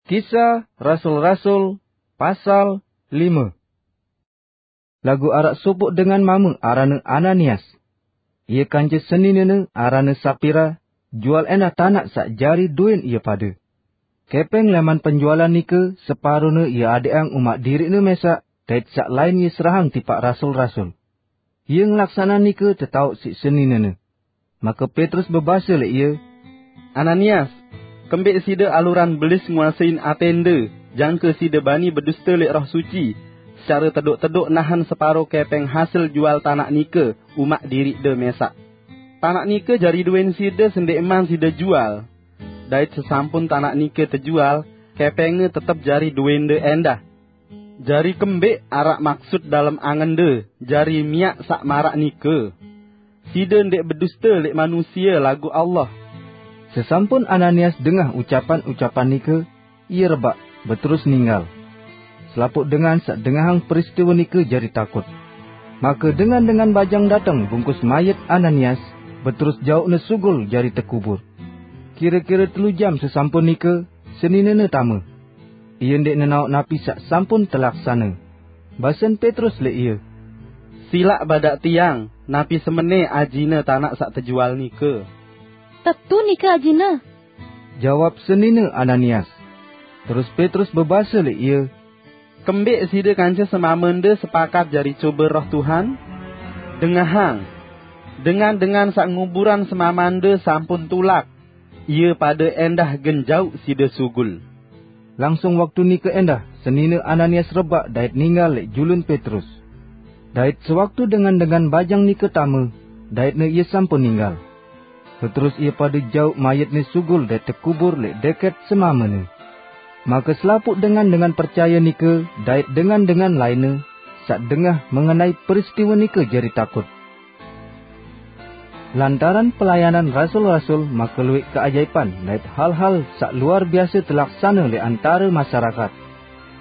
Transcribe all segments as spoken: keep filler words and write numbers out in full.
Kisah Rasul-Rasul, pasal lime. Laguq araq sopoq dengan mame aranne Ananias. Ie kance seninene aranne Sapira, jual endah tanaq saq jari duen ie pade. Kepeng leman penjualan nike separone ie adeqang umaq diriqne mesaq, dait saq lain ie serahang tipaq rasul-rasul. Ie ngelaksaneang nike tetaoq siq seninene. Make Petrus bebase leq ie, "Ananias, kembeq side aluran belis nguasein atende, jangke side bani beduste leq Roh Suci, secare tedoq-tedoq nahen separo kepeng hasil jual tanaq nike umaq diriqde mesaq? Tanaq nike jari duen side sendeqman side jual. Dait sesampun tanaq nike tejual, kepengne tetep jari duende endah. Jari kembeq araq maksut dalem angende jari miaq saq maraq nike? Side ndeq beduste leq manusie laguq Allah." Sesampun Ananias dengah ucapan-ucapan nike, ie rebaq, beterus ninggal. Selapuq dengan saq dengahang peristiwe nike jari takut. Make dengan-dengan bajang dateng bungkus mayit Ananias, beterus jauqne sugul jari tekubur. Kire-kire telu jam sesampun nike, seninene tame. Ie ndeq nenaoq napi saq sampun telaksane. Basen Petrus leq ie, "Silaq badaq tiang, napi semene ajine tanaq saq tejual nike." "Tetu nike ajine," jawab senine Ananias. Terus Petrus bebase leq ie, "Kembeq side kance semamende sepakat jari cobe Roh Tuhan? Dengahang! Dengan-dengan saq nguburan semamende sampun tulak. Ie pade endah gen jauq side sugul." Langsung waktu nike endah, senine Ananias rebaq dait ninggal leq julun Petrus. Dait sewaktu dengan-dengan bajang nike tame, daitne ie sampun ninggal. Beterus ie pade jauq mayitne sugul dait tekubur leq deket semamene. Make selapuq dengan-dengan percaye nike dait dengan-dengan lainne saq dengah mengenai peristiwe nike jari takut. Lantaran pelayanan rasul-rasul make lueq keajaipan dait hal-hal saq luar biase telaksane leq antare masyarakat.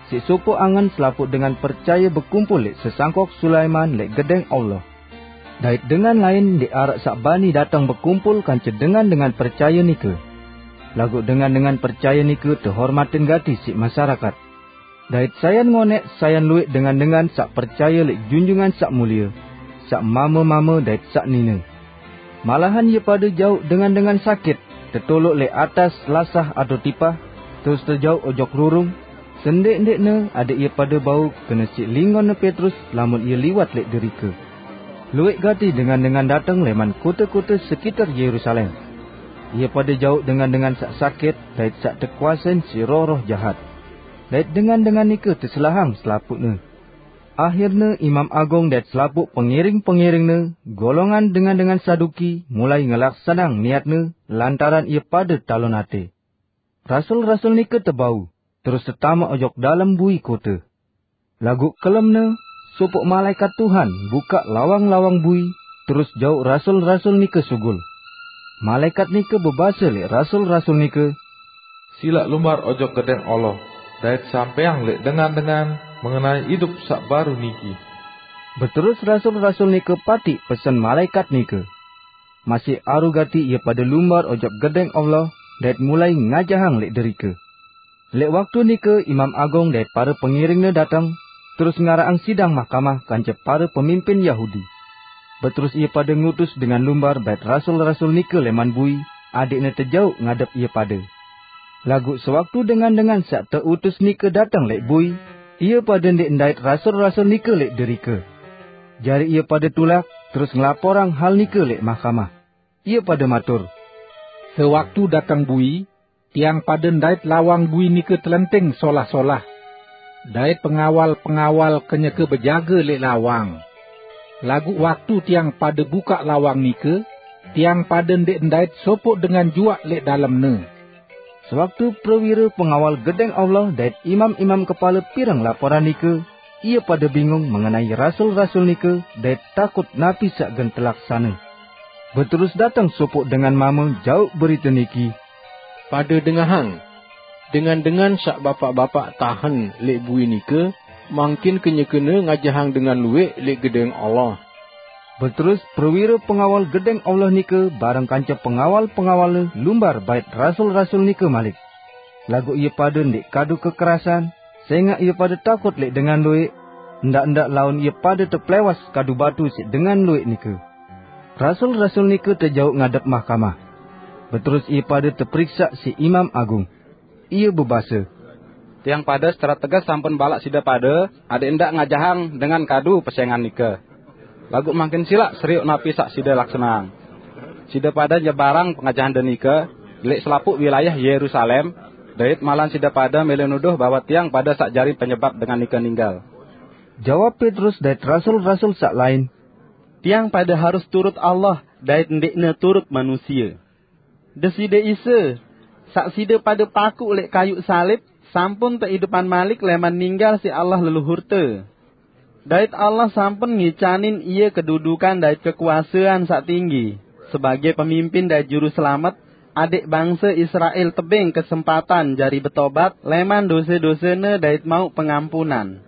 Siq sopoq angen selapuq dengan percaye bekumpul leq sesangkok Sulaiman leq Gedeng Allah. Dait dengan lain ndeq araq saq bani dateng bekumpul kance dengan-dengan percaye nike. Laguq dengan-dengan percaye nike tehormatin gati siq masyarakat. Dait sayan ngoneq, sayan lueq dengan-dengan saq percaye leq Junjungan Saq Mulie, saq mame-mame dait saq nine. Malahan ie pade jauq dengan-dengan sakit, tetoloq leq atas lasah atao tipah, terus tejauq ojok rurung, sendeq-ndeqne adeq ie pade bau kene siq lingonne Petrus lamun ie liwat leq derike. Lueq gati dengan-dengan dateng leman kote-kote sekiter Yerusalem. Ie pade jauq dengan-dengan saq sakit dait saq tekuasein siq roh-roh jahat. Dait dengan-dengan nike teselahang selapuqne. Ahirne imam agung dait selapuq pengiring-pengiringne, golongan dengan-dengan Saduki, mulai ngelaksaneang niatne lantaran ie pade talon ate. Rasul-rasul nike tebau, terus tetame ojok dalem bui kote. Laguq kelemne, sopoq malaekat Tuhan bukaq lawang-lawang bui, terus jauq rasul-rasul nike sugul. Malaekat nike bebase leq rasul-rasul nike, "Silaq lumbar ojok Gedeng Allah, dait sampeang leq dengan-dengan mengenai idup saq baru niki." Beterus rasul-rasul nike patiq pesen malaekat nike. Masih aru gati ie pade lumbar ojok Gedeng Allah dait mulai ngajahang leq derike. Leq waktu nike imam agung dait pare pengiringne dateng, terus ngaraqang sidang mahkamah kance pare pemimpin Yahudi. Beterus ie pade ngutus dengan lumbar bait rasul-rasul nike leman bui, adeqne tejauq ngadep ie pade. Laguq sewaktu dengan-dengan saq teutus nike dateng leq bui, ie pade ndeq ndait rasul-rasul nike leq derike. Jari ie pade tulak, terus ngelaporang hal nike leq mahkamah. Ie pade matur, "Sewaktu dateng bui, tiang pade ndait lawang bui nike telenting solah-solah, dait pengawal-pengawal kenyeke bejage leq lawang. Laguq waktu tiang pade bukaq lawang nike, tiang pade ndeq ndait sopoq dengan juaq leq dalemne." Sewaktu prewire pengawal Gedeng Allah dait imam-imam kepale pireng laporan nike, ie pade bingung mengenai rasul-rasul nike dait takut napi saq gen telaksane. Beterus dateng sopoq dengan mame jauq berite niki, "Pade dengahang! Dengan-dengan saq bapaq-bapaq tahen leq bui nike, mangkin kenyekene ngajahang dengan lueq leq Gedeng Allah." Beterus prewire pengawal Gedeng Allah nike bareng kance pengawal-pengawalne lumbar bait rasul-rasul nike malik. Laguq ie pade ndeq kadu kekerasan, sengaq ie pade takut leq dengan lueq, ndaq-ndaq laun ie pade teplewas kadu batu siq dengan lueq nike. Rasul-rasul nike tejauq ngadep mahkamah. Beterus ie pade teperiksaq siq Imam Agung. Ie bebase, "Tiang pade secara teges sampun balaq side pade adeq ndaq ngajahang dengan kadu pesengan nike. Laguq mangkin silaq serioq napi saq side laksaneang. Side pade nyebarang pengajahande nike leq selapuq wilayah Yerusalem, dait malahan side pade mele nuduh bahwe tiang pade saq jari penyebab dengan nike ninggal." Jawab Petrus dait rasul-rasul saq lain, "Tiang pade harus turut Allah dait ndeqne turut manusie. Deside Isa, saq side pade pakuq leq kayuq salib, sampun teidupan malik leman ninggal siq Allah leluhurte. Dait Allah sampun ngicanin ie kedudukan dait kekuasean saq tinggi, sebage pemimpin dait juru selamet, adeq bangse Israel tebeng kesempatan jari betobat leman dose-dosene dait mauq pengampunan.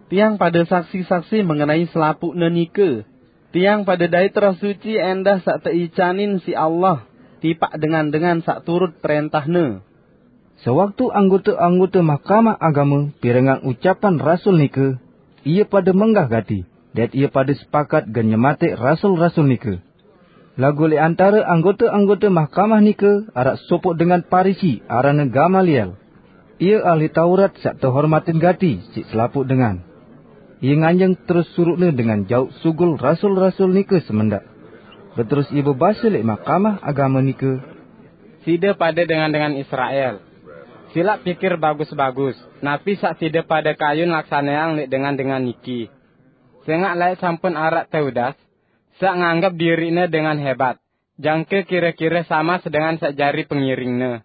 Tiang pade saksi-saksi mengenai selapuqne nike. Tiang pade dait Roh Suci endah saq teicanin siq Allah tipaq dengan-dengan saq turut perentahne." Sewaktu anggote-anggote Mahkamah Agame pirengang ucapan rasul nike, ie pade menggah gati, dait ie pade sepakat gen nyemateq rasul-rasul nike. Laguq leq antare anggote-anggote Mahkamah nike araq sopoq dengan Parisi, aranne Gamaliel. Ie ahli Taurat saq tehormatin gati siq selapuq dengan. Ie nganjeng terus suruqne dengan jauq sugul rasul-rasul nike semendaq. Beterus ie bebase leq Mahkamah Agame nike, "Side pade dengan-dengan Israel, silaq pikir bagus-bagus napi saq side pade kayun laksaneang leq dengan-dengan niki. Sengaq laeq sampun araq Teudas, saq nganggep diriqne dengan hebat, jangke kire-kire sama sedengan saq jari pengiringne.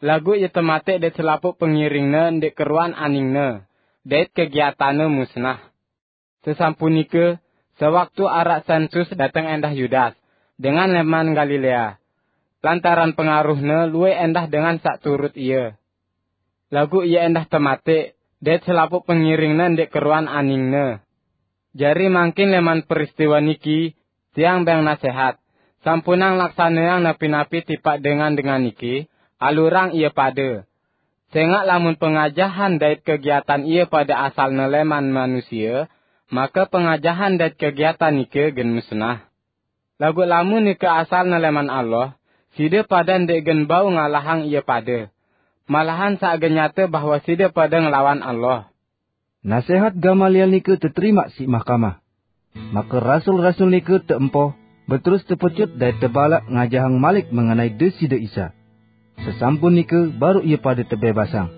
Laguq ie temateq dait selapuq pengiringne ndeq keruan aningne, dait kegiatanne musnah. Sesampunike, sewaktu araq sensus dateng endah Yudas, dengan leman Galilea. Lantaran pengaruhne lueq endah dengan saq turut ie. Laguq ie endah temateq, dait selapuq pengiringne ndeq keruan aningne. Jari mangkin leman peristiwe niki, tiang beng nasehat, sampunang laksaneang napi-napi tipaq dengan-dengan niki, alurang ie pade. Sengaq lamun pengajahan dait kegiatan ie pade asalne leman manusie, make pengajahan dait kegiatan nike gen musnah. Laguq lamun nike asalne leman Allah, side pade ndeq gen bau ngalahang ie pade. Malahan saq gen nyate bahwe side pade ngelawan Allah." Nasehat Gamaliel nike teterimaq siq mahkamah. Make rasul-rasul nike teempoh, beterus tepecut dait tebalaq ngajahang malik mengenai Deside Isa. Sesampun nike baruq ie pade tebebasang.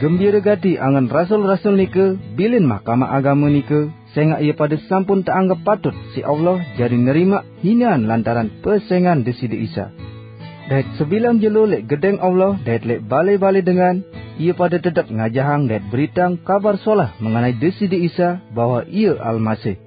Gembire gati angen rasul-rasul nike bilin Mahkamah Agame nike, sengaq ie pade sampun teanggep patut siq Allah jari nerimaq hinean lantaran pesengan Deside Isa. Dait sebilang jelo leq Gedeng Allah dait leq bale-bale dengan, ie pade tetep ngajahang dait beriteang Kabar Solah mengenai Deside Isa bahwe Ie Almasih.